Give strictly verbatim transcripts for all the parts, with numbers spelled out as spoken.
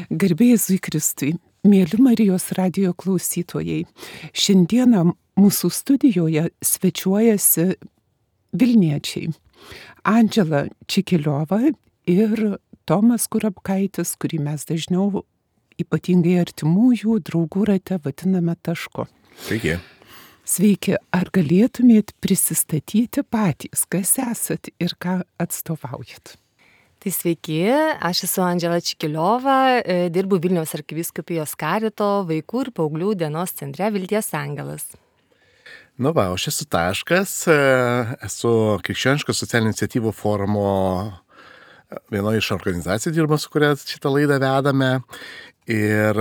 Garbė Jėzui Kristui, mėly Marijos radijo klausytojai. Šiandieną mūsų studijoje svečiuojasi Vilniečiai Andžela Čikiliova ir Tomas Kurapkaitis, kurį mes dažniau ypatingai artimųjų draugų rate vadiname Tašku. Sveiki. Sveiki, ar galėtumėt prisistatyti patys, kas esat ir ką atstovaujat? Tai sveiki, aš esu Andžela Čikiliova, dirbu Vilniaus arkivyskupijos Karito vaikų ir paauglių dienos centre Vilties Angelas. Nu va, aš esu Taškas, esu Krikščioniškos socialinių iniciatyvų forumo vienoje iš organizacijų dirba, su kuria šitą laidą vedame, ir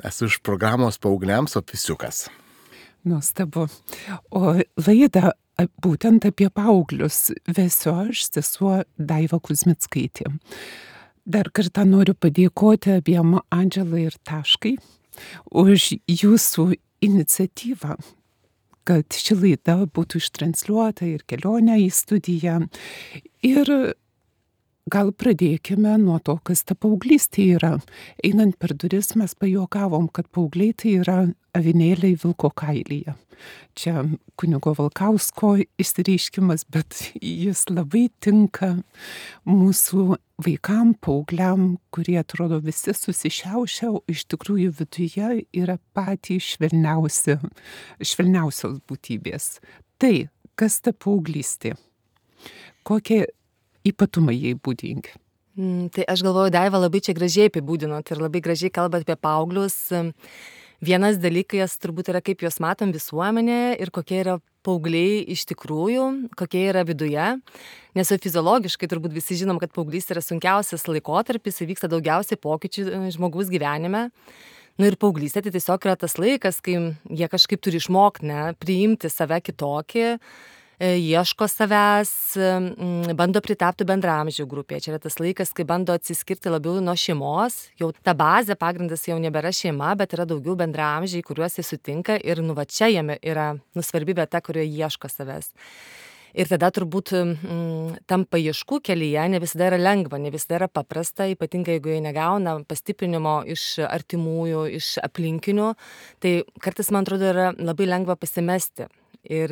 esu iš programos paaugliams Opisiukas. Nuostabu. O laidą būtent apie paauglius vesiu aš, sesuo Daiva Kuzmickaitė. Dar kartą noriu padėkoti abiem Andželai ir Taškai už jūsų iniciatyvą, kad ši laida būtų ištransliuota ir kelionė į studiją. Ir gal pradėkime nuo to, kas ta paauglystė yra. Einant per duris mes pajuokavom, kad paaugliai tai yra avinėliai vilko kailyje. Čia kunigo Valkausko išsireiškimas, bet jis labai tinka mūsų vaikam, paaugliam, kurie atrodo visi susišiaušia, o iš tikrųjų viduje yra patys švelniausi, švelniausios būtybės. Tai, kas ta paauglystė? Kokie ypatumai jai būdingi? Mm, tai aš galvoju, Daiva labai čia gražiai apibūdinot ir labai gražiai kalbat apie paauglius. Vienas dalykas turbūt yra, kaip juos matom visuomenėje ir kokie yra paaugliai iš tikrųjų, kokie yra viduje. Nes fiziologiškai turbūt visi žinom, kad paauglystė yra sunkiausias laikotarpis, įvyksta daugiausiai pokyčių žmogaus gyvenime. Nu ir paauglystė tai tiesiog yra tas laikas, kai jie kažkaip turi išmokti, ne, priimti save kitokį, ieško savęs, bando pritapti bendraamžių grupėje. Čia yra tas laikas, kai bando atsiskirti labiau nuo šeimos. Jau ta bazė, pagrindas jau nebėra šeima, bet yra daugiau bendraamžiai, kuriuos jie sutinka ir nu va čia jame yra nu svarbi vieta, kurioje ieško savęs. Ir tada turbūt m, tam paieškų kelyje ne visada yra lengva, ne visada yra paprasta, ypatingai jeigu jie negauna pastiprinimo iš artimųjų, iš aplinkinių, tai kartais, man atrodo, yra labai lengva pasimesti. Ir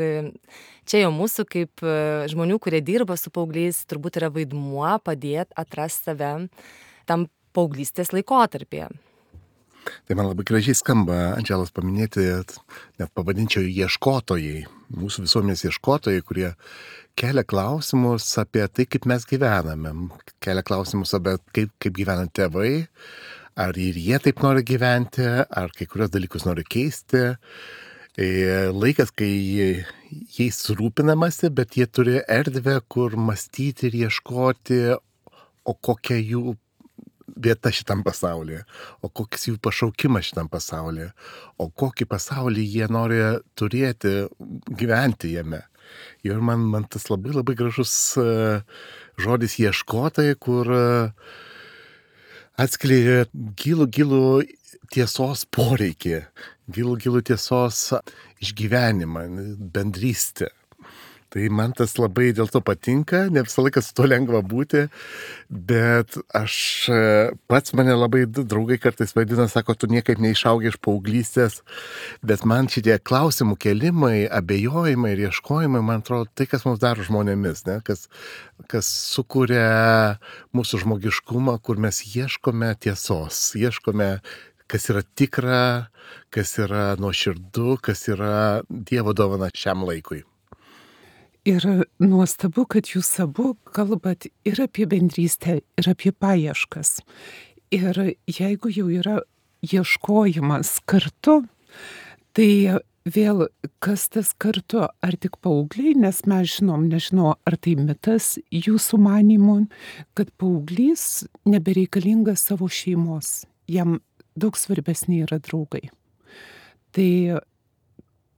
čia jau mūsų kaip žmonių, kurie dirba su paaugliais, turbūt yra vaidmuo padėti atrasti save tam paauglystės laikotarpyje. Tai man labai gražiai skamba Andželos paminėti, net pavadinčiau ieškotojai, mūsų visuomenės ieškotojai, kurie kelia klausimus apie tai, kaip mes gyvename, kelia klausimus apie kaip, kaip gyvena tėvai, ar ir jie taip nori gyventi, ar kai kurios dalykus nori keisti. Laikas, kai jais rūpinamasi, bet jie turi erdvę, kur mąstyti ir ieškoti, o kokia jų vieta šitam pasaulyje, o koks jų pašaukimas šitam pasaulyje, o kokį pasaulį jie nori turėti, gyventi jame. Ir man, man tas labai labai gražus žodis ieškotojai, kur atskleidžia gilų, gilų tiesos poreikį, gilų, gilų tiesos išgyvenimą, bendrystę. Tai man tas labai dėl to patinka, ne visą laiką su to lengva būti, bet aš pats mane labai draugai kartais vadina, sako, tu niekaip neišaugi iš paauglystės, bet man šitie klausimų kelimai, abejojimai ir ieškojimai, man atrodo, tai, kas mums daro žmonėmis, ne? kas, kas sukuria mūsų žmogiškumą, kur mes ieškome tiesos, ieškome kas yra tikra, kas yra nuoširdu, kas yra Dievo dovana šiam laikui. Ir nuostabu, kad jūs abu kalbat ir apie bendrystę, ir apie paieškas. Ir jeigu jau yra ieškojimas kartu, tai vėl kas tas kartu, ar tik paaugliai, nes mes žinom, nežinau, ar tai mitas jūsų manymu, kad paauglys nebereikalingas savo šeimos, jam daug svarbesni yra draugai. Tai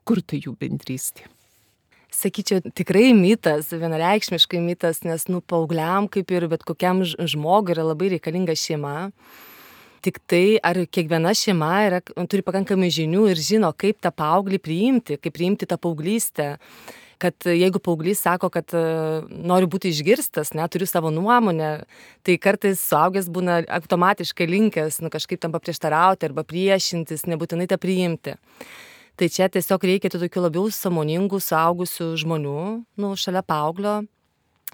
kur tai jų bendrystė? Sakyčiau, tikrai mitas, vienareikšmiškai mitas, nes nu paaugliam, kaip ir bet kokiam žmogui, yra labai reikalinga šeima. Tik tai, ar kiekviena šeima yra, turi pakankamai žinių ir žino, kaip tą paauglį priimti, kaip priimti tą paauglystę. kad jeigu paauglys sako, kad noriu būti išgirstas, ne, turiu savo nuomonę, tai kartais suaugęs būna automatiškai linkęs, nu, kažkaip tam paprieštarauti arba priešintis, nebūtinai tą priimti. Tai čia tiesiog reikia tų tokių labiau sąmoningų, suaugusių žmonių, nu, šalia paauglio.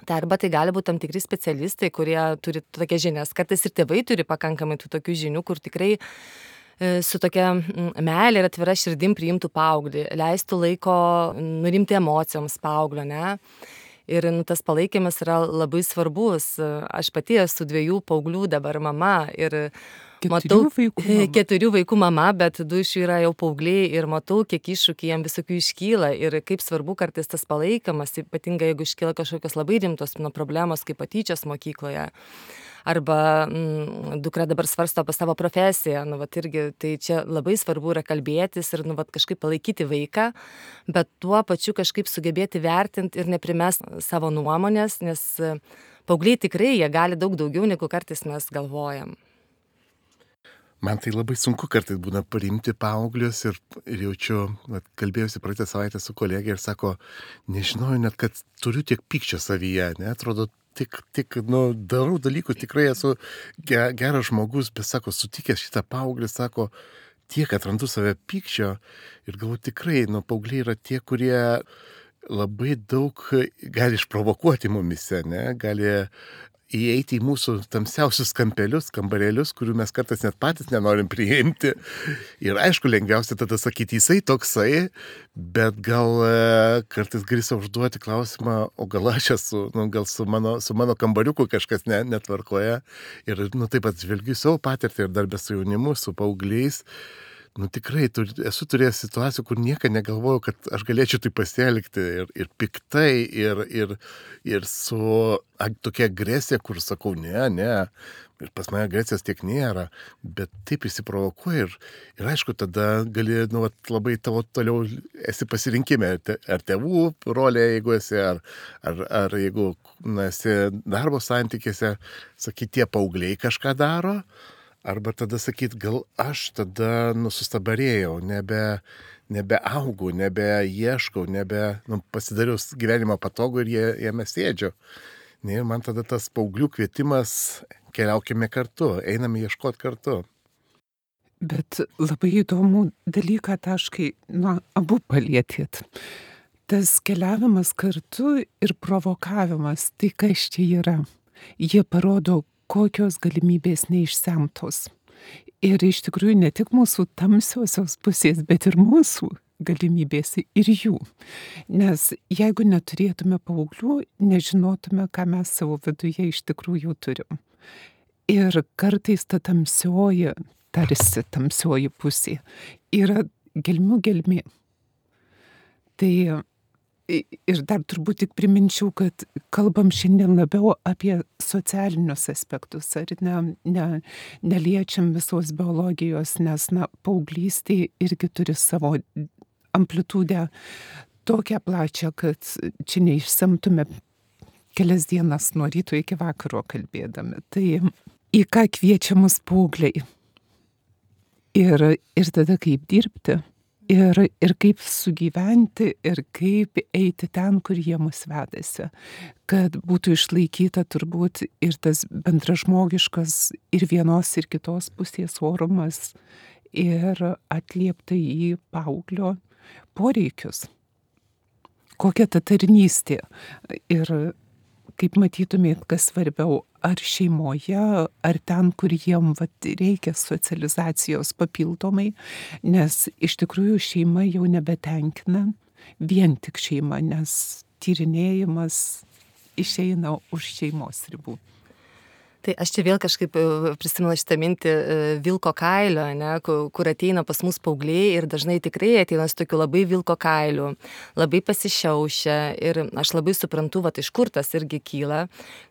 Tai arba tai gali būti tam tikri specialistai, kurie turi tokias žinias. Kartais ir tėvai turi pakankamai tų tokių žinių, kur tikrai su tokia meilė ir atvira širdim priimtų paauglį, leistų laiko nurimti emocijoms paauglio, ne? Ir nu, tas palaikymas yra labai svarbus. Aš pati esu dviejų paauglių dabar mama ir matau, Keturių vaikų mama. keturių vaikų mama, bet du iš jų yra jau paaugliai ir matau, kiek iššūkių jiem visokių iškyla ir kaip svarbu kartais tas palaikymas, ypatingai jeigu iškyla kažkokios labai rimtos nu, problemos, kaip patyčios mokykloje. Arba mm, dukra dabar svarsto apie savo profesiją, nu, vat, irgi, tai čia labai svarbu yra kalbėtis ir nu, vat, kažkaip palaikyti vaiką, bet tuo pačiu kažkaip sugebėti vertinti ir neprimest savo nuomonės, nes paaugliai tikrai jie gali daug daugiau, negu kartais mes galvojam. Man tai labai sunku kartais būna priimti paauglius ir, ir jaučiu, vat, kalbėjusi praeitą savaitę su kolegė ir sako, nežinojau net, kad turiu tiek pykčio savyje, ne, atrodo, tik, tik, nu, darau dalykus, tikrai esu ge, geras žmogus, bet sako, sutikęs šitą paauglį, sako, tiek atrandu save pykčio ir galvoju tikrai, nu, paaugliai yra tie, kurie labai daug gali išprovokuoti mumise, ne, gali įeiti į mūsų tamsiausius kampelius, kambarėlius, kurių mes kartais net patys nenorim priimti. Ir aišku, lengviausia tada sakyti, jisai toksai, bet gal kartais gali savo užduoti klausimą, o gal aš esu, nu, gal su mano, su mano kambariuku kažkas ne, netvarkoja. Ir nu, taip pat žvelgiu savo patirtį ir darbę su jaunimu, su paaugliais. Nu tikrai, tur, esu turėjęs situacijų, kur niekada negalvojau, kad aš galėčiau tai pasielgti ir, ir piktai, ir, ir, ir su a, tokia agresija, kur sakau, ne, ne, ir pas mane agresijos tiek nėra, bet taip įsiprovokuoja ir, ir aišku, tada gali, nu, labai tavo toliau esi pasirinkime, ar tėvų rolė, jeigu esi, ar, ar, ar jeigu na, esi darbo santykiuose, sakai, tie paaugliai kažką daro. Arba tada sakyt, gal aš tada nusustabarėjau, nebe, nebeaugau, nebeieškau, nebe, nu, pasidariau gyvenimą patogų ir jie, jame sėdžiu. Ne, ir man tada tas paauglių kvietimas, keliaukime kartu, einame ieškoti kartu. Bet labai įdomų dalyką taškai, nu, abu palietėt. Tas keliavimas kartu ir provokavimas, tai kas čia yra? Jie parodo, kokios galimybės neišsemtos. Ir iš tikrųjų ne tik mūsų tamsiosios pusės, bet ir mūsų galimybės ir jų. Nes jeigu neturėtume paauglių, nežinotume, ką mes savo viduje iš tikrųjų turim. Ir kartais ta tamsioji, tarsi tamsioji pusė, yra gelmių gelmė. Tai ir dar turbūt tik priminčiau, kad kalbam šiandien labiau apie socialinius aspektus, ar ne, ne, neliečiam visos biologijos, nes, na, paauglystė irgi turi savo amplitudę tokią plačią, kad čia neišsemtume kelias dienas nuo ryto iki vakaro kalbėdami. Tai į ką kviečia mus paaugliai? Ir, ir tada kaip dirbti? Ir, ir kaip sugyventi, ir kaip eiti ten, kur jie mus vedasi. Kad būtų išlaikyta turbūt ir tas bendražmogiškas ir vienos ir kitos pusės orumas ir atliepta į paauglio poreikius. Kokia ta tarnystė. Ir kaip matytumėt, kas svarbiau, ar šeimoje, ar ten, kur jiem vat, reikia socializacijos papildomai, nes iš tikrųjų šeima jau nebetenkina, vien tik šeima, nes tyrinėjimas išeina už šeimos ribų. Tai aš čia vėl kažkaip prisimenu šitą mintį vilko kailio, ne, kur ateina pas mus paaugliai ir dažnai tikrai ateina su tokiu labai vilko kailiu, labai pasišiaušia ir aš labai suprantu, va, iš kur tas irgi kyla,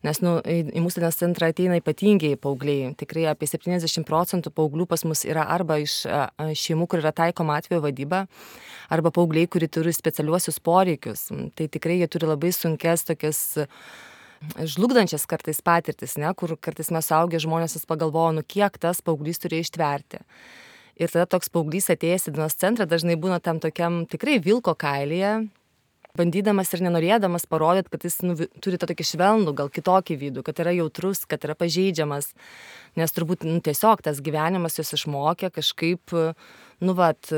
nes nu, į mūsų dienos centrą ateina ypatingiai paaugliai. Tikrai apie septyniasdešimt procentų paauglių pas mus yra arba iš šeimų, kur yra taikoma atvejo vadyba, arba paaugliai, kurie turi specialiuosius poreikius. Tai tikrai jie turi labai sunkes tokias žlugdančias kartais patirtis, ne, kur kartais mes suaugę žmonės pagalvoja, nu kiek tas paauglys turi ištverti. Ir tada toks paauglys atėjęs į dienos centrą dažnai būna tam tokiam tikrai vilko kailyje, bandydamas ir nenorėdamas parodyti, kad jis nu, turi tą tokį švelnų, gal kitokį vidų, kad yra jautrus, kad yra pažeidžiamas, nes turbūt nu, tiesiog tas gyvenimas jos išmokė kažkaip, nu vat,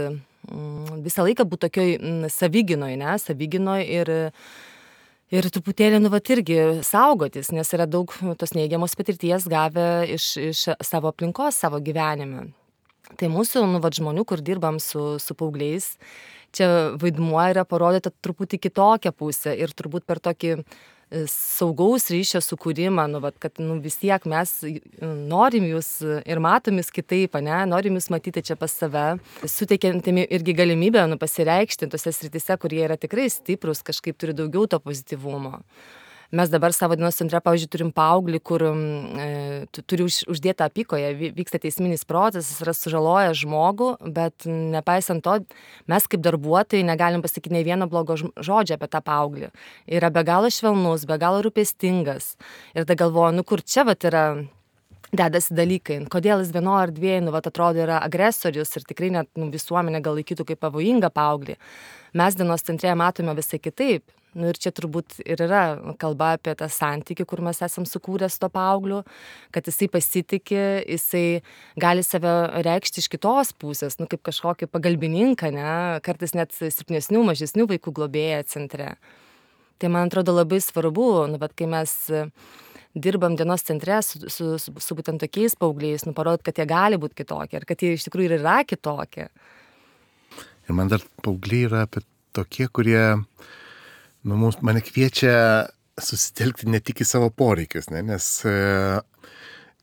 visą laiką būti tokioj savigynoj, ne, savigynoj ir Ir truputėlį, nu, vat irgi saugotis, nes yra daug tos neigiamos patirties gavę iš, iš savo aplinkos, savo gyvenime. Tai mūsų, nu, vat žmonių, kur dirbam su, su paaugliais, čia vaidmuo yra parodyti truputį kitokią pusę ir turbūt per tokį saugaus ryšio sukūrimą, nu, vat, kad nu, vis tiek mes norim jūs ir matom jūs kitaip, ne, norim jūs matyti čia pas save, suteikiantimi irgi galimybę nu, pasireikšti tose srityse, kurie yra tikrai stiprus, kažkaip turi daugiau to pozityvumo. Mes dabar savo dienos centre, pavyzdžiui, turim paauglį, kur e, turi už, uždėtą apykoje, vyksta teisminis procesas, yra sužaloję žmogų, bet nepaisant to, mes kaip darbuotojai negalim pasakyti nei vieno blogo žodžio apie tą paauglį. Yra be galo švelnus, be galo rūpestingas. Ir tada galvoju, nu kur čia vat yra dedasi dalykai, kodėl jis vieno ar dviejų, nu vat atrodo, yra agresorius ir tikrai net nu, visuomenė gal laikytų kaip pavojingą paauglį. Mes dienos centre matome visai kitaip. Nu ir čia turbūt ir yra kalba apie tą santykį, kur mes esam sukūrę su to paaugliu, kad jisai pasitikė, jisai gali save reikšti iš kitos pusės, nu kaip kažkokį pagalbininką, ne, kartais net silpnesnių, mažesnių vaikų globėją centre. Tai man atrodo labai svarbu, nu bet kai mes dirbam dienos centre su, su, su, su būtent tokiais paaugliais, nu parodyti, kad jie gali būti kitokie ir kad jie iš tikrųjų yra kitokie. Ir man dar paaugliai yra apie tokie, kurie Nu, mums, mane kviečia susitelkti ne tik į savo poreikius, ne? Nes e,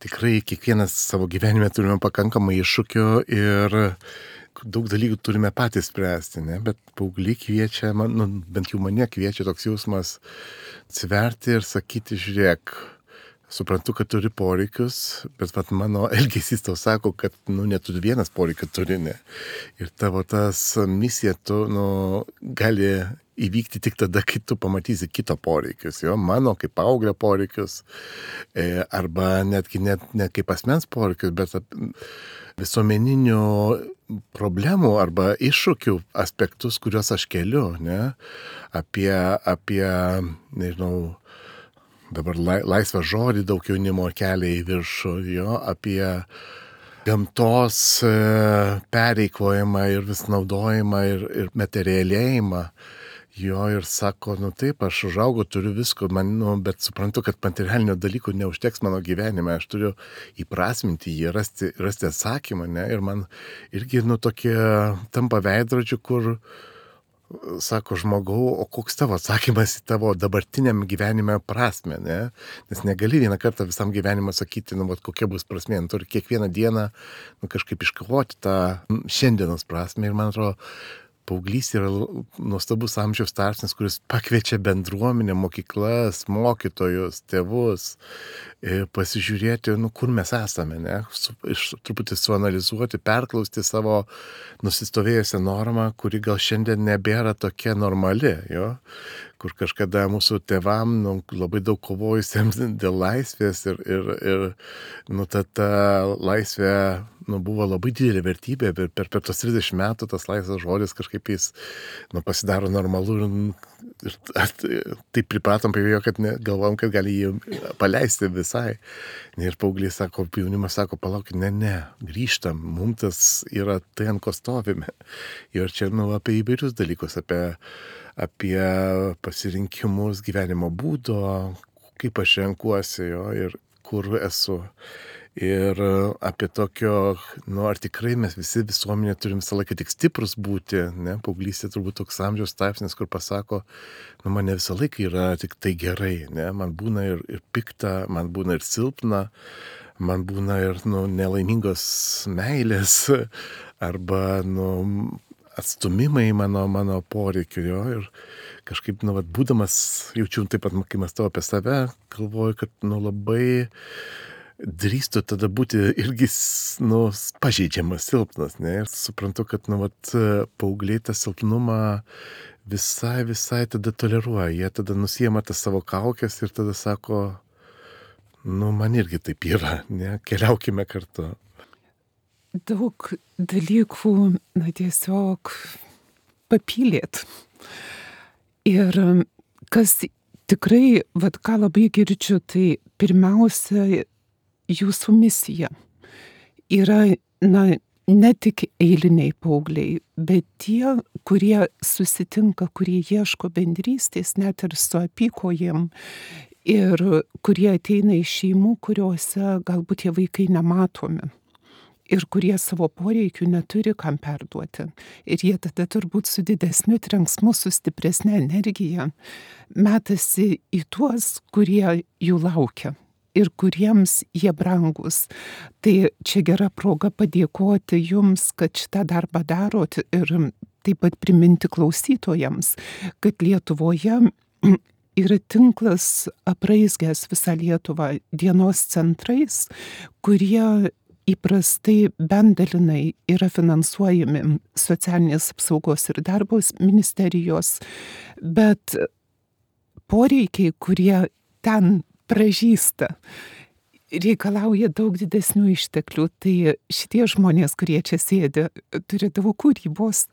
tikrai kiekvienas savo gyvenime turime pakankamai iššūkių ir daug dalykų turime patys spręsti, ne? Bet paaugliai kviečia, man, nu, bent jau mane kviečia toks jausmas atsiverti ir sakyti, žiūrėk, suprantu, kad turi poreikius, bet vat, mano elgesys tau sako, kad nu, ne tu vienas poreikį turi, ne? Ir tavo tas misija tu, nu, gali įvykti tik tada, kai tu pamatysi kito poreikius, jo, mano kaip paauglio poreikius, e, arba netgi net ne kaip asmens poreikius, bet visuomeninių problemų arba iššūkių aspektus, kuriuos aš keliu, ne, apie, apie, nežinau, dabar laisvą žodį daug jaunimo kelia į viršų, jo, apie gamtos pereikvojimą ir vis naudojimą ir, ir materialėjimą. Jo, ir sako, nu taip, aš užaugau, turiu visko, man, nu, bet suprantu, kad materialinio dalykų neužteks mano gyvenime, aš turiu įprasminti jį, rasti, rasti atsakymą, ne, ir man irgi, nu, tokie tampa veidrodžių, kur sako žmogau, o koks tavo atsakymas į tavo dabartiniam gyvenime prasme, ne, nes negali vieną kartą visam gyvenimą sakyti, nu, vat, kokia bus prasmė, nu, turi kiekvieną dieną, nu, kažkaip iškovoti tą šiandienos prasmę ir man atrodo, paauglys yra nuostabus amžiaus tarpsnis, kuris pakviečia bendruomenę, mokyklas, mokytojus, tėvus, pasižiūrėti, nu, kur mes esame, ne? Su, iš, truputį suanalizuoti, perklausti savo nusistovėjusią normą, kuri gal šiandien nebėra tokia normali, jo? Kur kažkada mūsų tėvam nu, labai daug kovojusiems dėl laisvės ir, ir, ir nu, ta, ta laisvė nu, buvo labai didelė vertybė, bet per, per tos trisdešimt metų tas laisvas žodis kažkaip jis nu, pasidaro normalu ir, ir taip pripratom prie jo, kad ne, galvom, kad gali jį paleisti visai. Ir paaugliai sako, jaunimas sako, palaukit, ne, ne, grįžtam, mums tas yra tai, ant ko stovime. Ir čia nu, apie įvairius dalykus, apie apie pasirinkimus gyvenimo būdo, kaip aš renkuosi jo ir kur esu. Ir apie tokio, nu ar tikrai mes visi visuomenė turim visą laiką tik stiprus būti, ne, paauglystė turbūt toks amžiaus tarpsnis, kur pasako, nu man ne visą laiką yra tik tai gerai, ne, man būna ir, ir pikta, man būna ir silpna, man būna ir, nu, nelaimingos meilės, arba, nu, atstumimai mano, mano poreikių, jo, ir kažkaip, nu, vat, būdamas, jaučiu taip pat, kai mąstau apie save, galvoju, kad, nu, labai drįstu tada būti irgi, nu, pažeidžiamas, silpnas, ne, ir suprantu, kad, nu, vat, paaugliai tą silpnumą visai, visai tada toleruoja, jie tada nusiema tas savo kaukes ir tada sako, nu, man irgi taip yra, ne, keliaukime kartu. Daug dalykų, na, tiesiog papylėt. Ir kas tikrai, vat ką labai girdžiu, tai pirmiausia, jūsų misija yra, na, ne tik eiliniai paaugliai, bet tie, kurie susitinka, kurie ieško bendrystės, net ir su apykojėm, ir kurie ateina iš šeimų, kuriuose galbūt tie vaikai nematomi. Ir kurie savo poreikių neturi kam perduoti. Ir jie tada turbūt su didesniu trenksmu, su stipresne energija metasi į tuos, kurie jų laukia ir kuriems jie brangus. Tai čia gera proga padėkoti jums, kad šitą darbą darot ir taip pat priminti klausytojams, kad Lietuvoje yra tinklas apraizgęs visą Lietuvą dienos centrais, kurie įprastai bent dalinai yra finansuojami socialinės apsaugos ir darbo ministerijos, bet poreikiai, kurie ten pražįsta, reikalauja daug didesnių išteklių. Tai šitie žmonės, kurie čia sėdi, turi daug kūrybos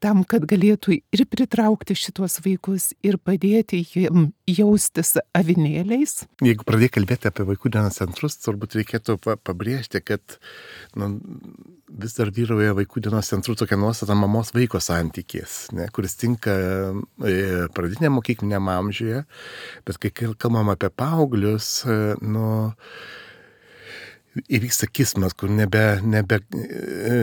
tam, kad galėtų ir pritraukti šitos vaikus ir padėti jiem jaustis avinėliais. Jeigu pradėjai kalbėti apie vaikų dienos centrus, turbūt reikėtų pabrėžti, kad nu, vis dar vyrauja vaikų dienos centrų tokia nuostata mamos vaiko santykis, ne, kuris tinka pradiniam mokykliniam amžiuje, bet kai kalbam apie paauglius, nu, įvyksta kismas, kur nebe, nebe,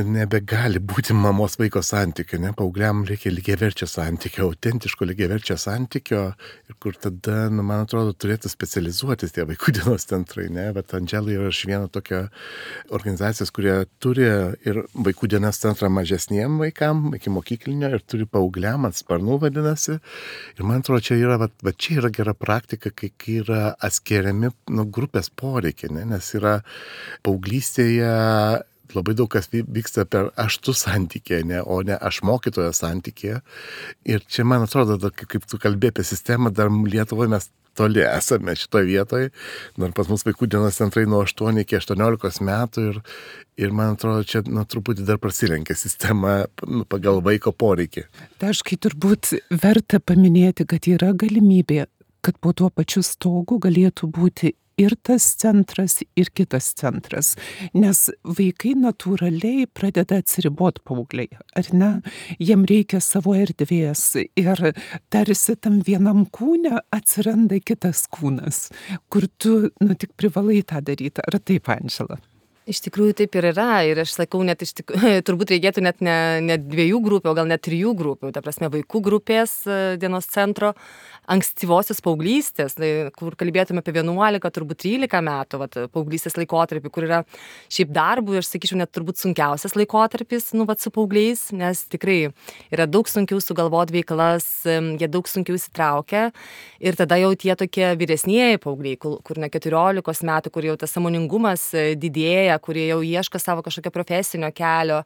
nebegali būti mamos vaiko santykio, ne, paaugliam reikia lygiaverčio santykio, autentiško lygiaverčio santykio, ir kur tada, nu, man atrodo, turėtų specializuotis tie vaikų dienos centrai, ne, bet Andžela yra iš vieno tokio organizacijos, kurie turi ir vaikų dienos centrą mažesniem vaikam, iki mokyklinio, ir turi paaugliam, ant sparnų vadinasi, ir man atrodo, čia yra, va, va čia yra gera praktika, kai yra atskiriami, nu, grupės poreikiai, ne, nes yra paauglystėje labai daug kas vyksta per aš tu santykė, ne, o ne aš mokytojo santykė. Ir čia, man atrodo, da, kaip tu kalbėjai apie sistemą, dar Lietuvoje mes toli esame šitoje vietoje. Dar pas mus vaikų dienos centrai nuo aštuonių iki aštuoniolikos metų ir, ir man atrodo, čia nu, truputį dar prasilenkia sistema nu, pagal vaiko poreikį. Taškai turbūt verta paminėti, kad yra galimybė, kad po tuo pačiu stogu galėtų būti ir tas centras, ir kitas centras. Nes vaikai natūraliai pradeda atsiribot paaugliai, ar ne? Jiem reikia savo erdvės ir tarsi tam vienam kūne atsiranda kitas kūnas, kur tu nu, tik privalai tą daryti. Ar taip, Andžela? Iš tikrųjų taip ir yra, ir aš sakau, net iš tikrųjų, turbūt reikėtų net ne, ne dviejų grupių, o gal net trijų grupių, ta prasme vaikų grupės dienos centro, ankstyvosios paauglystės, tai, kur kalbėtume apie vienuolika, turbūt trylika metų, vat, paauglystės laikotarpį, kur yra šiaip darbų, aš sakyčiau, net turbūt sunkiausias laikotarpis, nu, vat, su paaugliais, nes tikrai yra daug sunkiau sugalvoti veiklas, jie daug sunkiau įsitraukia, ir tada jau tie tokie vyresnieji paaugliai, kur, kur ne keturiolikos metų, kur jau tas sąmoningumas didėja, kurie jau ieško savo kažkokio profesinio kelio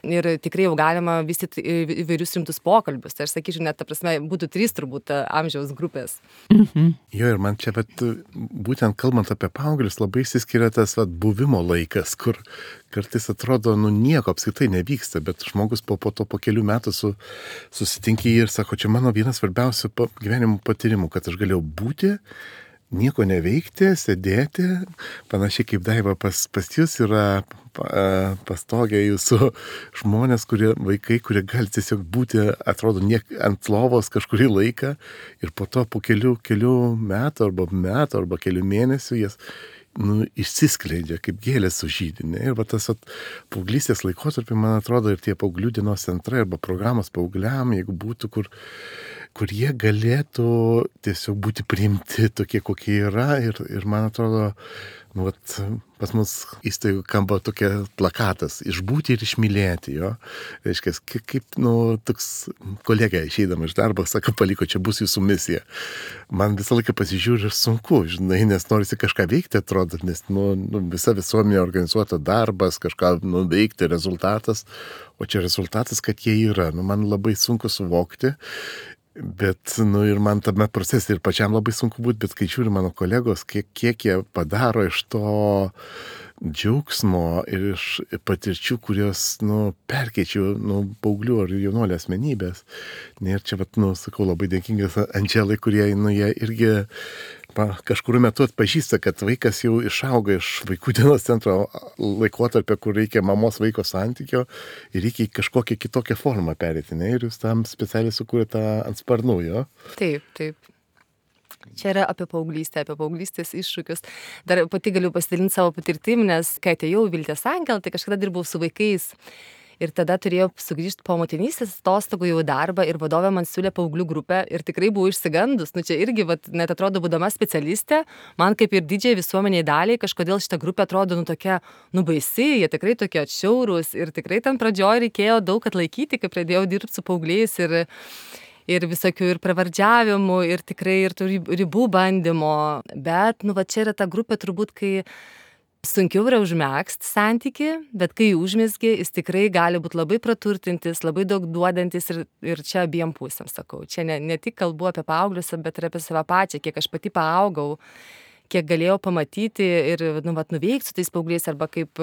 ir tikrai jau galima vystyti įvairius rimtus pokalbius. Tai aš sakyčiau, net ta prasme, būtų trys turbūt amžiaus grupės. Mhm. Jo, ir man čia, bet, būtent kalbant apie paauglius, labai išsiskiria tas vat, buvimo laikas, kur kartais atrodo, nu nieko apskritai nevyksta, bet žmogus po, po to po kelių metų su, susitinki ir sako, čia mano vienas svarbiausių gyvenimo patyrimų, kad aš galėjau būti, nieko neveikti, sėdėti, panašiai kaip Daiva pas, pas jūs yra pastogė jūsų žmonės, kurie, vaikai, kurie gali tiesiog būti, atrodo, niek, ant lovos kažkurį laiką ir po to po kelių, kelių metų arba metų arba kelių mėnesių jas nu, išsiskleidžia kaip gėlės sužydinė. Ir va tas at, paauglystės laikotarpį, man atrodo, ir tie paauglių dienos centrai arba programos paaugliam, jeigu būtų, kur kur jie galėtų tiesiog būti priimti tokie, kokie yra. Ir, ir man atrodo, nu, vat, pas mus įstaigų kamba tokia plakatas – išbūti ir išmylėti. Jo. Reiškia, kaip, kaip nu, toks kolega išeidama iš darbo, sako, paliko, čia bus jūsų misija. Man visą laiką pasižiūri ir sunku, žinai, nes norisi kažką veikti, atrodo, nes nu, nu, visa visuomenė organizuota darbas, kažką nu, veikti, rezultatas, o čia rezultatas, kad jie yra. Nu, man labai sunku suvokti. Bet, nu, ir man tame procese ir pačiam labai sunku būti, bet kai žiūri mano kolegos, kiek, kiek jie padaro iš to, džiaugsmo ir iš patirčių, kurios, nu, perkeičiu, nu, paauglių ar jaunuolio asmenybės. Ir čia, vat, nu, sakau, labai dėkingas Andželai, kurie, nu, jie irgi pa, kažkur metu atpažįsta, kad vaikas jau išauga iš vaikų dienos centro laikotarpio, kur reikia mamos vaiko santykio ir reikia į kažkokią kitokią formą perėti, ne? Ir jūs tam specialiai sukūrėte ant sparnų, jo? Taip, taip. Čia yra apie paauglystę, apie paauglystės iššūkius. Dar pati galiu pasidalinti savo patirtim, nes kai atėjau į Vilties Angelą, tai kažkada dirbau su vaikais. Ir tada turėjau sugrįžti po motinystės atostogų jau į darbą ir vadovė man siūlė paauglių grupę ir tikrai buvau išsigandus. Nu čia irgi, vat, net atrodo, būdama specialistė, man kaip ir didžiai visuomeniai daliai, kažkodėl šita grupė atrodo, nu tokia, nu baisi, jie tikrai tokie atšiaurūs ir tikrai ten pradžioj reikėjo daug atlaikyti, kai pradėjau dirbti su paaugliais ir ir visokių ir pravardžiavimų, ir tikrai ir tų ribų bandymo. Bet, nu, va čia yra ta grupė turbūt, kai sunkiau yra užmegzti santyki, bet kai užmezgi, jis tikrai gali būti labai praturtintis, labai daug duodantis ir, ir čia abiem pusėm, sakau. Čia ne, ne tik kalbu apie paauglius, bet ir apie save pačią, kiek aš pati paaugau, kiek galėjau pamatyti ir, nu, vat, nuveikti su tais paaugliais, arba kaip,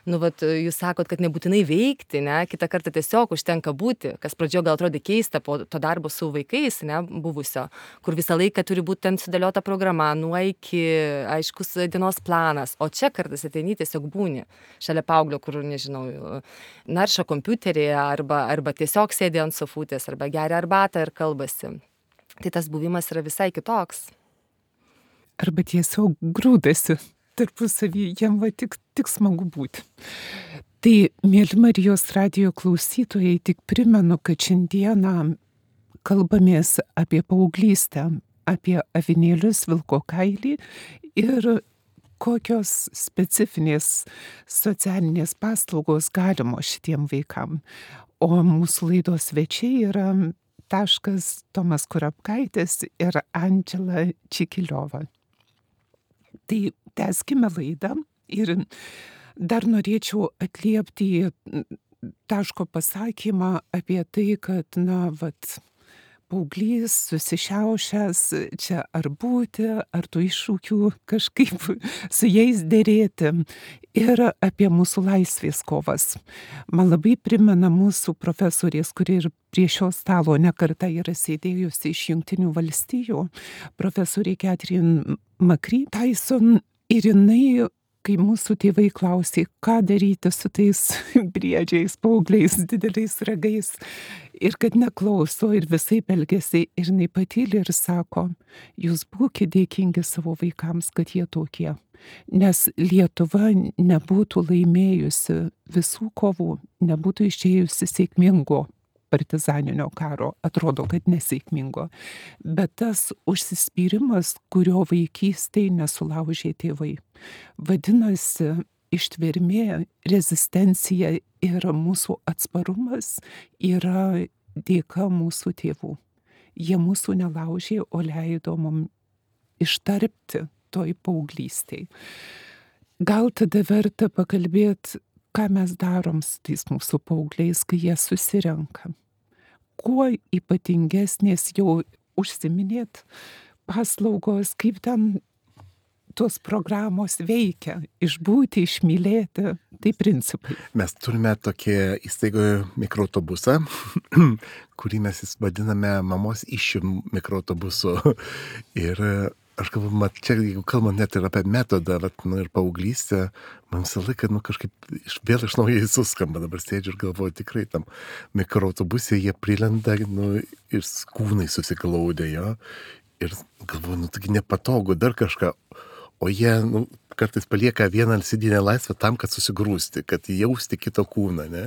nu, vat, jūs sakot, kad nebūtinai veikti, ne, kitą kartą tiesiog užtenka būti, kas pradžioje gal atrodė keista po to darbo su vaikais, ne, buvusio, kur visą laiką turi būti ten sudėliota programa, nuo iki, aiškus dienos planas, o čia kartais ateini tiesiog būni šalia paauglio, kur, nežinau, naršo kompiuterį, arba, arba tiesiog sėdi ant sofutės, arba geria arbatą ir kalbasi. Tai tas buvimas yra visai kitoks. Arba tiesiog grūdasi tarpusavį, jam va tik, tik smagu būti. Tai, mėly Marijos radijo klausytojai, tik primenu, kad šiandieną kalbamės apie paauglystę, apie avinėlius, vilko kailį ir kokios specifinės socialinės paslaugos galimo šitiem vaikam. O mūsų laidos svečiai yra taškas Tomas Kurapkaitis ir Andžela Čikiliova. Tai tęskime laidą ir dar norėčiau atliepti taško pasakymą apie tai, kad, na, vat, paauglys susišiaušęs, čia ar būti, ar tų iššūkių kažkaip su jais dėrėti ir apie mūsų laisvės kovas. Man labai primena mūsų profesorės, kuri ir prie šio stalo nekartą yra sėdėjusi iš Jungtinių valstijų, profesorė Catherine McCree Tyson, ir jinai, kai mūsų tėvai klausė, ką daryti su tais briedžiais, paaugliais, dideliais ragais, ir kad neklauso ir visai elgiasi, ir jinai patylė ir sako, jūs būkite dėkingi savo vaikams, kad jie tokie. Nes Lietuva nebūtų laimėjusi visų kovų, nebūtų išėjusi sėkmingo partizaninio karo, atrodo, kad nesėkmingo. Bet tas užsispyrimas, kurio vaikystėje nesulaužė tėvai. Vadinasi, ištvermė, rezistencija ir mūsų atsparumas yra dėka mūsų tėvų. Jie mūsų nelaužė, o leido mums ištarpti toj paauglystėj. Gal tada verta pakalbėti, ką mes darom su tais mūsų paaugliais, kai jie susirenka. Kuo ypatingesnės jau užsiminėt paslaugos, kaip ten tos programos veikia, išbūti, išmylėti, tai principai. Mes turime tokį įstaigoje mikroautobusą, kurį mes vadiname mamos iššių mikroautobusu. Ir aš kalbu, mat, čia, jeigu kalbant net ir apie metodą, vat, nu, ir paauglystę, man visą laiką, nu, kažkaip iš, vėl iš naujo suskamba, dabar sėdžiu ir galvoju, tikrai tam mikroautobusė jie prilenda, nu, ir kūnai susiklaudė jo, ir galvoju, nu, taigi nepatogu, dar kažką, o jie, nu, kartais palieka vieną alsidinę laisvę tam, kad susigrūsti, kad jausti kito kūną, ne?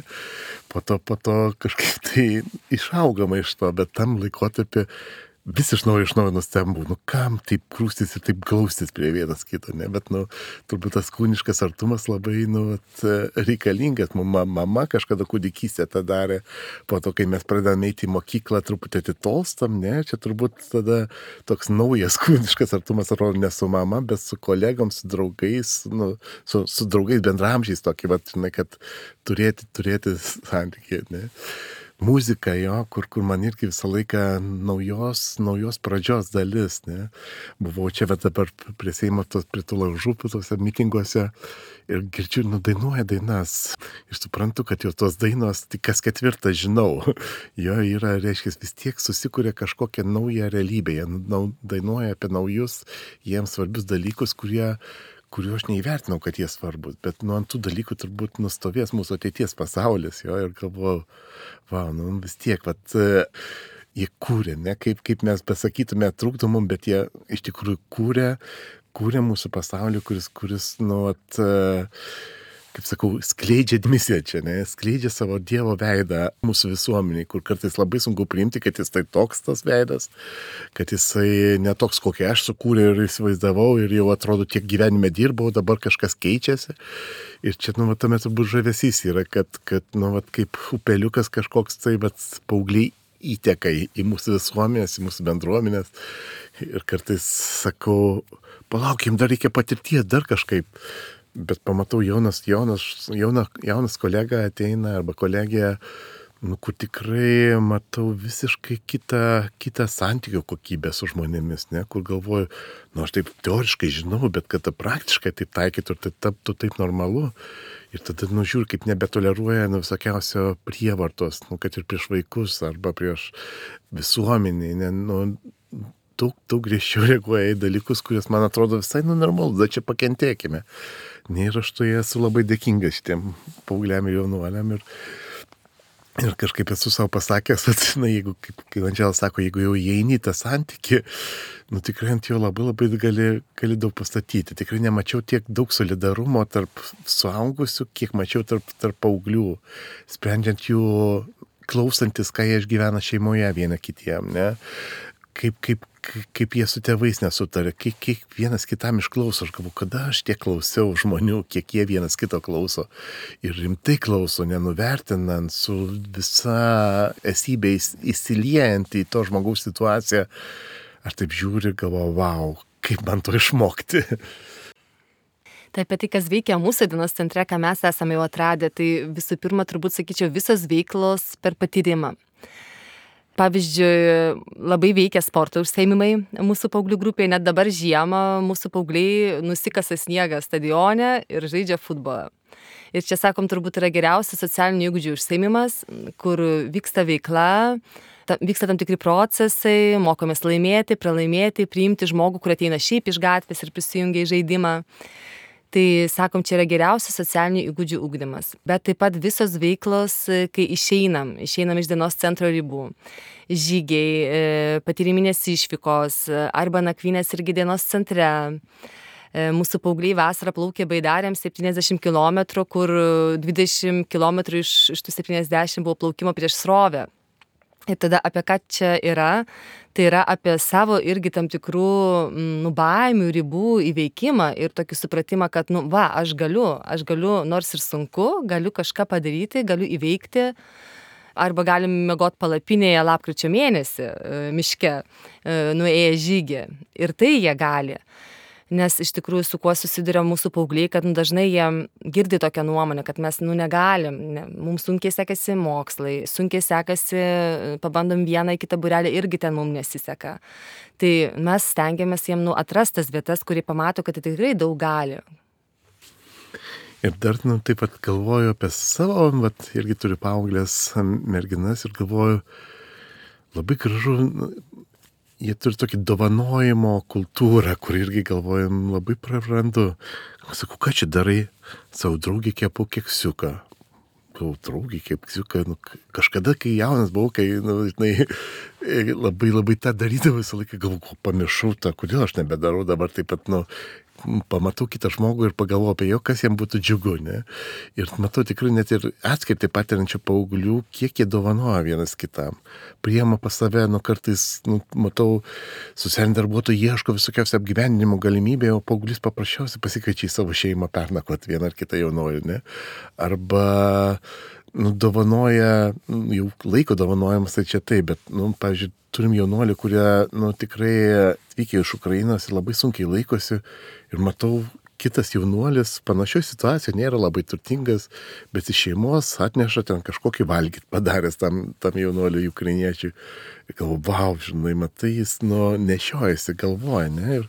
Po to, po to kažkaip tai išaugama iš to, bet tam laikotarpį vis iš naujo iš naujo nustembu, nu kam taip krūstis ir taip glaustis prie vienas kito, ne, bet, nu, turbūt tas kūniškas artumas labai, nu, reikalingas, mama, mama kažkada kūdikystę tą darė, po to, kai mes pradėjome eiti į mokyklą, truputį atitolstam, ne, čia turbūt tada toks naujas kūniškas artumas, atrodo, ne su mama, bet su kolegom, su draugais, nu, su, su draugais bendramžiais tokį, vat, žinai, kad turėti, turėti santykį, ne. muzika jo, kur, kur man irgi visą laiką naujos, naujos pradžios dalis, ne. Buvau čia, bet dabar prie Seimo, tos, prie tų laužų, tose mitinguose ir girdžiu, nu, dainuoja dainas. Ir suprantu, kad jau tos dainos tik kas ketvirtą žinau. Jo yra, reiškia, vis tiek susikuria kažkokią naują realybę. Jie nau, dainuoja apie naujus, jiems svarbius dalykus, kurie kuriuo aš neįvertinau, kad jie svarbus, bet nu ant tų dalykų turbūt nustovės mūsų ateities pasaulis, jo, ir galvoju, va, nu vis tiek, vat, jie kūrė, ne, kaip, kaip mes pasakytume, trūktų mum, bet jie iš tikrųjų kūrė, kūrė mūsų pasaulį, kuris, kuris, nu, vat, kaip sakau, skleidžia misiją čia, ne, skleidžia savo Dievo veidą mūsų visuomeniai, kur kartais labai sunku priimti, kad jis tai toks tas veidas, kad jisai netoks, kokį aš sukūrė ir įsivaizdavau ir jau atrodo tiek gyvenime dirbau, dabar kažkas keičiasi. Ir čia, nu, va, tame turbūt žavesys yra, kad, kad, nu, va, kaip upeliukas kažkoks, tai, bet paaugliai įteka į, į mūsų visuomenės, į mūsų bendruomenės. Ir kartais sakau, palaukim, dar reikia patirties, dar kažkaip. Bet pamatau jaunas, jaunas, jauna, jaunas kolega ateina arba kolegija, nu, kur tikrai matau visiškai kitą, kitą santykių kokybę su žmonėmis, ne, kur galvoju, nu, aš taip teoriškai žinau, bet kad praktiškai taip taikytų ir tai taptų taip normalu. Ir tada, nu, žiūri, kaip nebetoleruoja, nu, visokiausio prievartos, nu, kad ir prieš vaikus arba prieš visuomenį, ne, nu, daug, daug griežčiau reaguoja į dalykus, kurias man atrodo visai, nu, normalu, da čia pakentėkime. Ne, ir aš to esu labai dėkingas šitiem paaugliam ir jaunuoliam ir, ir kažkaip esu savo pasakęs, kad, na, jeigu, kaip, kaip Andžela sako, jeigu jau įeini į tą santykį, nu, tikrai ant jo labai labai gali, gali daug pastatyti. Tikrai nemačiau tiek daug solidarumo tarp suaugusių, kiek mačiau tarp, tarp paauglių, sprendžiant jų, klausantis, ką jie išgyvena šeimoje viena kitiem, ne? Kaip, kaip, kaip jie su tėvais nesutarė, kiek, kiek vienas kitam išklauso. Aš galvoju, kada aš tiek klausiau žmonių, kiek jie vienas kito klauso. Ir rimtai klauso, nenuvertinant, su visa esybė įsiliejant į to žmogaus situaciją. Aš taip žiūriu ir galvoju, wow, kaip man to išmokti. Tai apie tai, kas veikia mūsų dienos centre, ką mes esame jau atradę, tai visų pirma, turbūt sakyčiau, visos veiklos per patyrimą. Pavyzdžiui, labai veikia sporto užsiėmimai mūsų paauglių grupėje, net dabar žiemą mūsų paaugliai nusikasa sniegą stadione ir žaidžia futbolą. Ir čia, sakom, turbūt yra geriausias socialinių įgūdžių užsiėmimas, kur vyksta veikla, ta, vyksta tam tikri procesai, mokomės laimėti, pralaimėti, priimti žmogų, kur ateina šiaip iš gatvės ir prisijungia į žaidimą. Tai, sakom, čia yra geriausias socialinių įgūdžių ugdymas. Bet taip pat visos veiklos, kai išeinam, išeinam iš dienos centro ribų. Žygiai, patyriminės išvykos arba nakvynės irgi dienos centre. Mūsų paaugliai vasarą plaukė Baidarėm septyniasdešimt kilometrų, kur dvidešimt kilometrų iš, iš tų septyniasdešimt buvo plaukimo prieš srovę. Ir tada apie ką čia yra? Tai yra apie savo irgi tam tikrų nu, baimių, ribų įveikimą ir tokį supratimą, kad, nu, va, aš galiu, aš galiu, nors ir sunku, galiu kažką padaryti, galiu įveikti. Arba galim miegot palapinėje lapkričio mėnesį miške, nuėję žygį. Ir tai jie gali. Nes iš tikrųjų su kuo susiduria mūsų paaugliai, kad nu, dažnai jie girdi tokią nuomonę, kad mes nu, negalim, ne, mums sunkiai sekasi mokslai, sunkiai sekasi, pabandom vieną į kitą būrelį, irgi ten mums nesiseka. Tai mes stengiamės jiem nu, atrastas vietas, kurie pamato, kad tai tikrai daug gali. Ir dar nu, taip pat galvoju apie savo, vat, irgi turiu paauglės merginas ir galvoju, labai gražu, jie turi tokį dovanojimo kultūrą, kur irgi galvojam labai prarandu. Sakau, ką čia darai? Savo draugį kepu keksiuką. Galvoju, draugį keksiuką. Nu, kažkada, kai jaunas buvau, kai nu, žinai, labai labai tą darydavau visą laiką, galvoju, pamiršau tą, kodėl aš nebedarau dabar taip pat, nu, pamatau kitą žmogų ir pagalvoju apie jo, kas jam būtų džiugu, ne? Ir matau tikrai net ir atskirti patiriančių paauglių, kiek jie dovanoja vienas kitam. Priema pas save, nu kartais, nu, matau, socialiniai darbuotojai ieško visokiausių apgyvendinimo galimybė, o paauglys paprasčiausiai pasikeičia į savo šeimą pernakvot vieną ar kitą jaunuolį, ne? Arba, nu, dovanoja, nu, jau laiko dovanojimas, tai čia taip, bet, nu, pavyzdžiui, turim jaunuolį, kurie, nu, tikrai atvykę iš Ukrainos ir labai sunkiai laikosi ir matau, kitas jaunuolis panašioj situacijoje nėra labai turtingas, bet iš šeimos atneša ten kažkokį valgyt padaręs tam, tam jaunuoliui ukrainiečiui. Ir galvoju, wow, žinai, matai, jis nu, nešiojasi, galvoja, ne? Ir,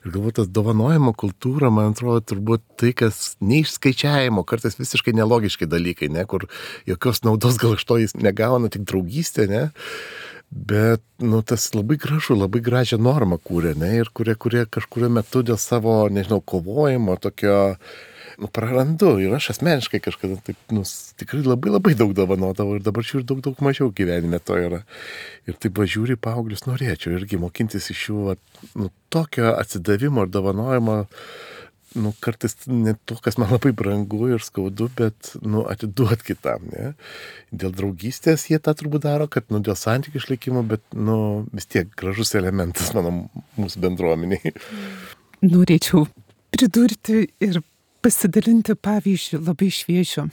ir galvoju, tas dovanojimo kultūra, man atrodo, turbūt tai, kas neišskaičiavimo, kartais visiškai nelogiški dalykai, ne? Kur jokios naudos gal iš to jis negauna, tik draugystė, ne? Bet, nu, tas labai gražu, labai gražią normą kūrė, ne? Ir kurie, kurie kažkurio metu dėl savo, nežinau, kovojimo tokio, nu, prarandu. Ir aš asmeniškai kažkada taip, nu, tikrai labai labai daug dovanodavau ir dabar žiūriu daug, daug mažiau gyvenime to yra. Ir taip važiūri paauglius, norėčiau irgi mokintis iš jų, nu, tokio atsidavimo ir dovanojimo, nu, kartais ne to, kas man labai brangu ir skaudu, bet, nu, atiduot kitam, ne? Dėl draugystės jie tą turbūt daro, kad, nu, dėl santykių išlikimo, bet, nu, vis tiek gražus elementas mano mūsų bendruomeniai. Norėčiau pridurti ir pasidalinti pavyzdžių labai šviežių.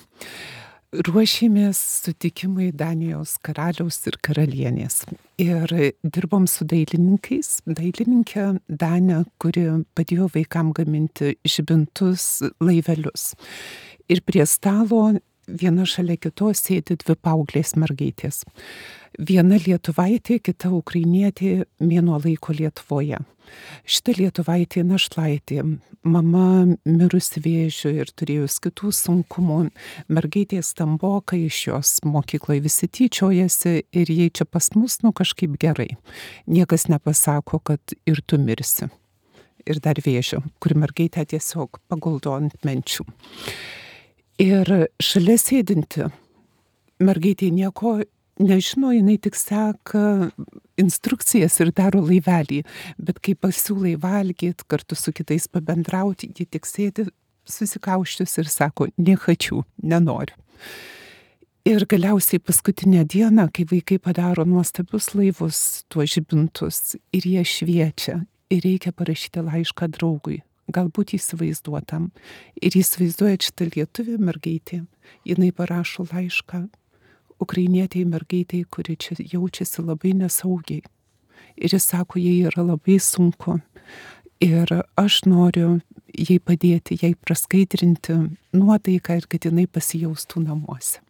Ruošėmės sutikimui Danijos karaliaus ir karalienės. Ir dirbom su dailininkais. Dailininkė Danė, kuri padėjo vaikam gaminti žibintus, laivelius. Ir prie stalo viena šalia kitos sėdi dvi paauglės mergaitės. Viena lietuvaitė, kita ukrainietė mėnuo laiko Lietuvoje. Šita lietuvaitė našlaitė, mama mirusi vėžiu ir turėjus kitų sunkumų, mergaitė stamboka, iš jos mokykloje visi tyčiojasi ir jai čia pas mus, nu, kažkaip gerai. Niekas nepasako, kad ir tu mirsi. Ir dar vėžiu, kur mergaitė tiesiog paguldo ant menčių. Ir šalia sėdinti mergaitė nieko nežino, jinai tik seka instrukcijas ir daro laivelį, bet kai pasiūlai valgyt, kartu su kitais pabendrauti, ji tik sėdi susikauščius ir sako, nehačiu, nenoriu. Ir galiausiai paskutinę dieną, kai vaikai padaro nuostabius laivus, tuos žibintus, ir jie šviečia, ir reikia parašyti laišką draugui, galbūt įsivaizduotam. Ir įsivaizduoja šitą lietuvį mergaitį, jinai parašo laišką ukrainietei mergaitei, kuri čia jaučiasi labai nesaugiai. Ir jis sako, jai yra labai sunku. Ir aš noriu jai padėti, jai praskaidrinti nuotaiką ir kad jinai pasijaustų namuose.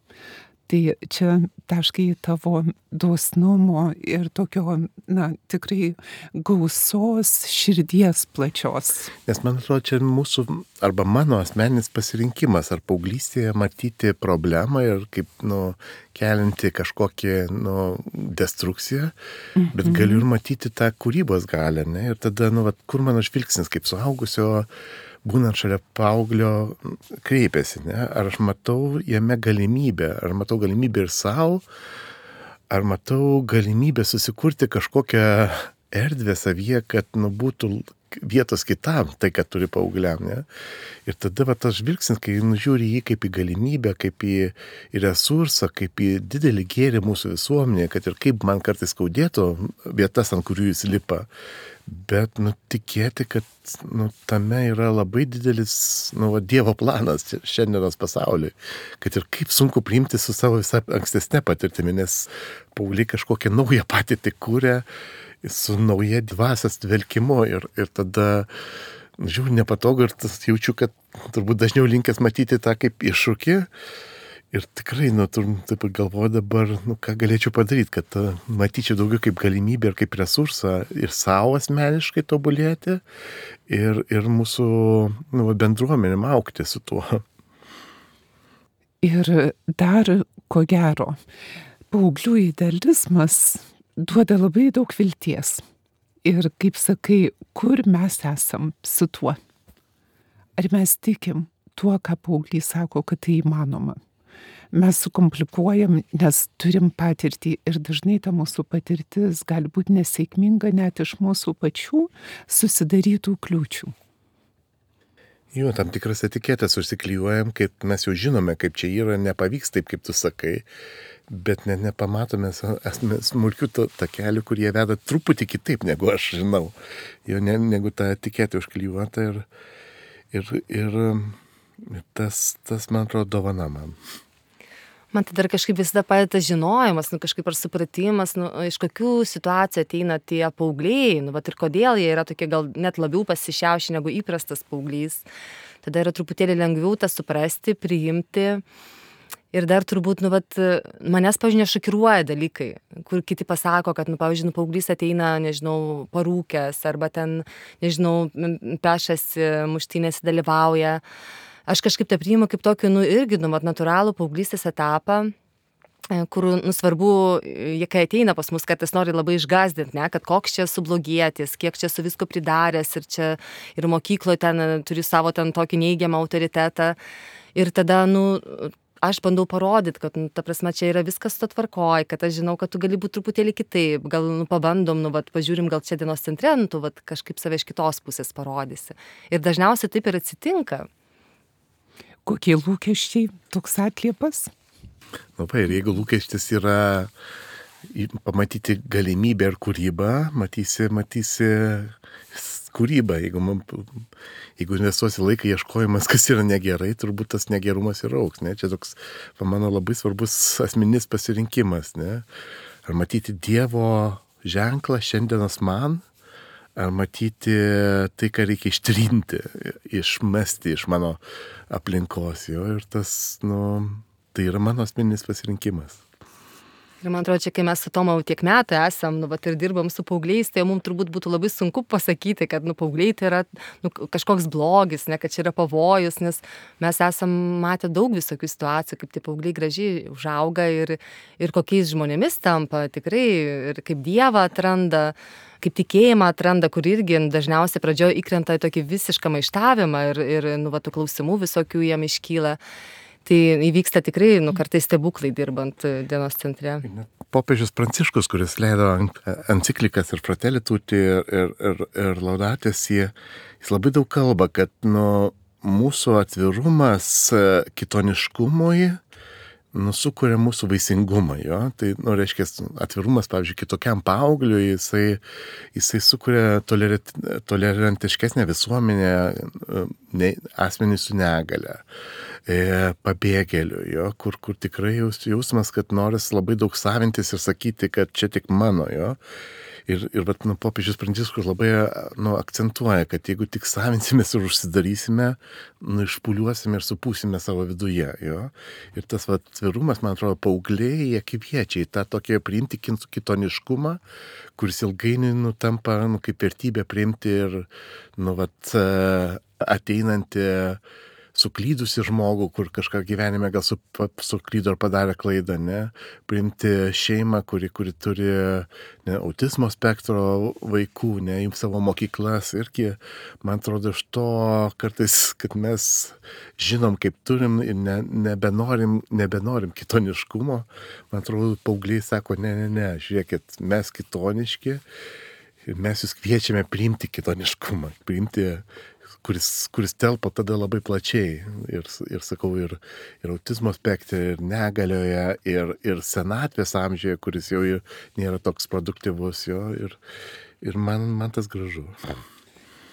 Tai čia taškai tavo dosnumo ir tokio, na, tikrai gausos širdies plačios. Nes man atrodo, čia mūsų, arba mano asmeninis pasirinkimas, ar paauglystėje matyti problemą ir kaip, nu, kelinti kažkokį, nu, destrukciją, mhm. bet galiu ir matyti tą kūrybos galę, ne? Ir tada, nu, vat, kur mano žvilgsnis kaip suaugusio, būnant šalia paauglio, kreipiasi, ne? Ar aš matau jame galimybę, ar matau galimybę ir savo, ar matau galimybę susikurti kažkokią erdvę savyje, kad, nu, būtų vietos kitam, tai, kad turi paaugliam, ne? Ir tada va, tas žvilgsnis, kai nužiūri jį kaip į galimybę, kaip į, į resursą, kaip į didelį gėrį mūsų visuomenėje, kad ir kaip man kartais skaudėtų vietas, ant kurių jis lipa, bet, nu, tikėti, kad, nu, tame yra labai didelis, nu, va, Dievo planas šiandienos pasauliui, kad ir kaip sunku priimti su savo visą ankstesnę patirtimį, nes paaugliai kažkokią naują patirtį kūrė su nauja dvasios dvelkimu ir, ir tada, žiūrėjau, nepatogu ir tas jaučiu, kad turbūt dažniau linkęs matyti tą kaip iššūkį. Ir tikrai, nu, taip galvoju dabar, nu, ką galėčiau padaryti, kad uh, matyčiau daugiau kaip galimybę ir kaip resursą ir savo asmeniškai tobulėti ir, ir mūsų, nu, bendruomenėm augti su tuo. Ir dar, ko gero, paauglių idealizmas duoda labai daug vilties. Ir, kaip sakai, kur mes esam su tuo? Ar mes tikim tuo, ką paaugliai sako, kad tai įmanoma? Mes sukomplikuojam, nes turim patirtį ir dažnai ta mūsų patirtis gali būti nesėkminga net iš mūsų pačių susidarytų kliūčių. Jo, tam tikras etiketės užsiklijuojam, kaip mes jau žinome, kaip čia yra, nepavyks taip, kaip tu sakai, bet net nepamatome smulkių takelių, kurie veda truputį kitaip, negu aš žinau. Jo, ne, negu ta etiketė užklijuota ir, ir, ir tas, tas, man atrodo, dovana man. Man tai dar kažkaip visada padeda žinojimas, nu, kažkaip ar supratimas, nu, iš kokių situacijų ateina tie paaugliai, nu, vat, ir kodėl jie yra tokie gal net labiau pasišiaušę negu įprastas paauglys. Tada yra truputėlį lengviau tą suprasti, priimti. Ir dar turbūt, nu, vat, manęs, pavyzdžiui, nešokiruoja dalykai, kur kiti pasako, kad, nu, pavyzdžiui, nu, paauglys ateina, nežinau, parūkęs, arba ten, nežinau, pešasi, muštynėse dalyvauja. Aš kažkaip tai priimu kaip tokį, nu, irgi, nu, vat, natūralų paauglystės etapą, kur, nu, svarbu, jie kai ateina pas mus, kad jis nori labai išgazdinti, ne, kad koks čia sublogėtis, kiek čia su visko pridaręs ir čia ir mokykloje ten turi savo ten tokį neigiamą autoritetą. Ir tada, nu, aš bandau parodyti, kad, nu, ta prasme, čia yra viskas to tvarkoj, kad aš žinau, kad tu gali būti truputėlį kitaip, gal, nu, pabandom, nu, vat, pažiūrim, gal čia dienos centre, nu, tu, vat, kažkaip save iš kitos pusės parodysi. Ir dažniausiai taip ir atsitinka. Kokie lūkesčiai, toks atliepas? Labai, ir jeigu lūkestis yra pamatyti galimybę ir kūrybą, matysi, matysi kūrybą. Jeigu, man, jeigu investuosi laiką ieškojimas, kas yra negerai, turbūt tas negerumas ir auks. Ne? Čia toks, mano, labai svarbus asmeninis pasirinkimas. Ne? Ar matyti Dievo ženklą šiandienos man, ar matyti tai, ką reikia ištrinti, išmesti iš mano aplinkos jo. Ir tas, nu, tai yra mano asmeninis pasirinkimas. Ir man atrodo, čia kai mes su Tomu tiek metų esam, nu, vat, ir dirbam su paaugliais, tai mums turbūt būtų labai sunku pasakyti, kad, nu, paaugliai tai yra, nu, kažkoks blogis, ne, kad čia yra pavojus, nes mes esam matę daug visokių situacijų, kaip tie paaugliai gražiai užauga ir, ir kokiais žmonėmis tampa, tikrai, ir kaip Dievą atranda, kaip tikėjimą atranda, kur irgi dažniausiai pradžioje įkrenta į tokį visišką maištavimą ir, ir nu, va, tų klausimų visokių jam iškyla. Tai įvyksta tikrai, nu, kartais stebuklai dirbant dienos centre. Popiežius Pranciškus, kuris leido enciklikas ir Fratelli Tutti ir, ir, ir, ir Laudatis, jis labai daug kalba, kad, nu, mūsų atvirumas kitoniškumui, nu, sukuria mūsų vaisingumą, jo. Tai, nu, reiškia, atvirumas, pavyzdžiui, kitokiam paaugliui, jisai, jisai sukuria tolerant, tolerantiškesnę visuomenę, ne, asmenį su negale, e, pabėgėlių, jo, kur, kur tikrai jaus, jausmas, kad noris labai daug savintis ir sakyti, kad čia tik mano, jo. Ir, ir vat, nu, popiežius Pranciškus labai, nu, akcentuoja, kad jeigu tik savinsimės ir užsidarysime, nu, išpuliuosime ir supūsime savo viduje, jo. Ir tas, vat, atvirumas, man atrodo, paaugliai, jie kviečia į tą tokį priimti kitoniškumą, kuris ilgainiui, nu, tampa, nu, kaip vertybė priimti ir, nu, vat, ateinantį suklydusi žmogų, kur kažką gyvenime gal su, suklydo ar padarė klaidą, ne? Priimti šeimą, kuri, kuri turi, ne, autizmo spektro vaikų, ne, jums savo mokyklas. Irgi, man atrodo, iš to kartais, kad mes žinom, kaip turim ir ne, nebenorim, nebenorim kitoniškumo, man atrodo, paaugliai sako, ne, ne, ne, žiūrėkit, mes kitoniški ir mes jūs kviečiame priimti kitoniškumą, priimti kuris, kuris telpa tada labai plačiai ir, ir sakau, ir, ir autizmo spektre, ir negalioje, ir, ir senatvės amžiuje, kuris jau nėra toks produktyvus, jo, ir, ir man, man tas gražu.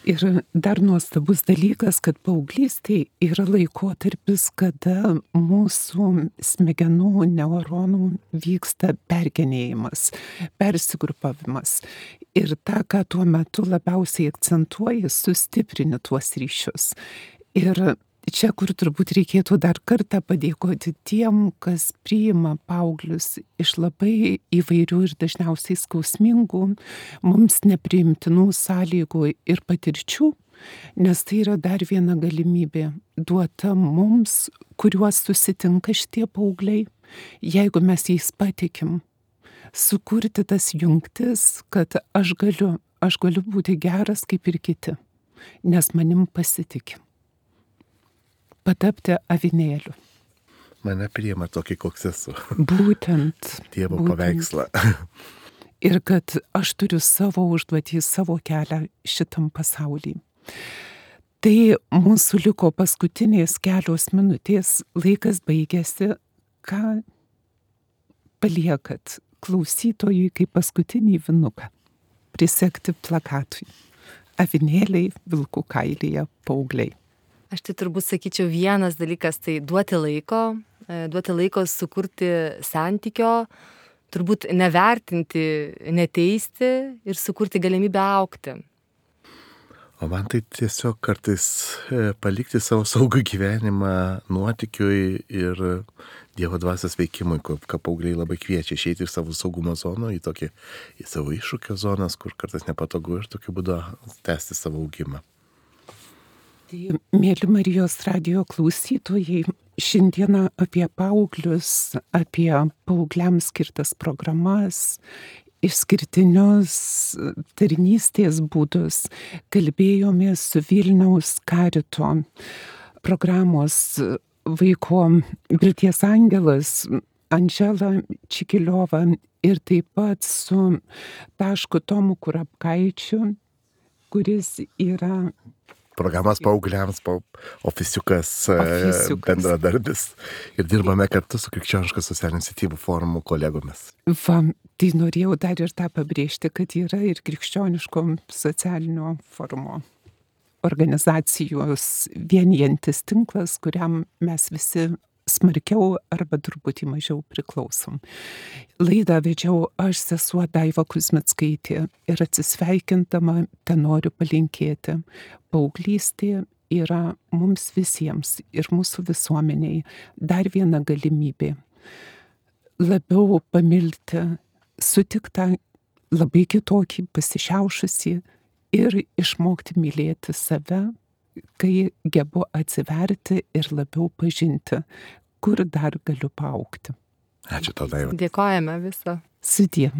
Ir dar nuostabus dalykas, kad paauglystė yra laikotarpis, kada mūsų smegenų neuronų vyksta pergenėjimas, persigrupavimas. Ir tą, ką tuo metu labiausiai akcentuoji, sustiprini tuos ryšius. Ir čia, kur turbūt reikėtų dar kartą padėkoti tiem, kas priima paauglius iš labai įvairių ir dažniausiai skausmingų, mums nepriimtinų sąlygų ir patirčių, nes tai yra dar viena galimybė duota mums, kuriuos susitinka šitie paaugliai, jeigu mes jais patikim, sukurti tas jungtis, kad aš galiu, aš galiu būti geras kaip ir kiti, nes manim pasitikim. Patapti avinėliu. Mane priima tokį, koks esu. Būtent. Dievo būtent. paveikslą. Ir kad aš turiu savo užduotį, savo kelią šitam pasauly. Tai mūsų liko paskutinės kelios minutės, laikas baigėsi. Ką paliekat klausytojui kaip paskutinį vinuką? Prisekti plakatui. Avinėliai, vilkų kailyje, paaugliai. Aš tai turbūt sakyčiau vienas dalykas, tai duoti laiko, duoti laiko sukurti santykio, turbūt nevertinti, neteisti ir sukurti galimybę augti. O man tai tiesiog kartais palikti savo saugų gyvenimą nuotykiui ir Dievo dvasios veikimui, ką paaugliai labai kviečia išeiti iš savo saugumo zono į tokį, į savo iššūkio zonas, kur kartais nepatogu ir tokiu būdu tęsti savo augimą. Tai, mėly Marijos radijo klausytojai, šiandieną apie paauglius, apie paaugliams skirtas programas, išskirtinius tarnystės būdus kalbėjomės su Vilniaus Karito programos vaiko Vilties angelas Andžela Čikiliova ir taip pat su Tašku Tomu Kurapkaičiu, kuris yra programos paaugliams, pa, ofisiukas, ofisiukas, bendradarbis. Ir dirbame kartu su Krikščioniškos socialinių iniciatyvų forumo kolegomis. Va, tai norėjau dar ir tą pabrėžti, kad yra ir Krikščioniško socialinio forumo organizacijos vienijantis tinklas, kuriam mes visi smarkiau arba truputį mažiau priklausom. Laidą vedžiau aš, sesuo Daiva Kuzmickaitė, ir atsisveikindama ten noriu palinkėti. Paauglystė yra mums visiems ir mūsų visuomeniai dar viena galimybė labiau pamilti sutiktą, labai kitokį, pasišiaušusį ir išmokti mylėti save, kai gebu atsiverti ir labiau pažinti, kur dar galiu paaugti. Ačiū tau, Daiva. Dėkojame visą. Sudie.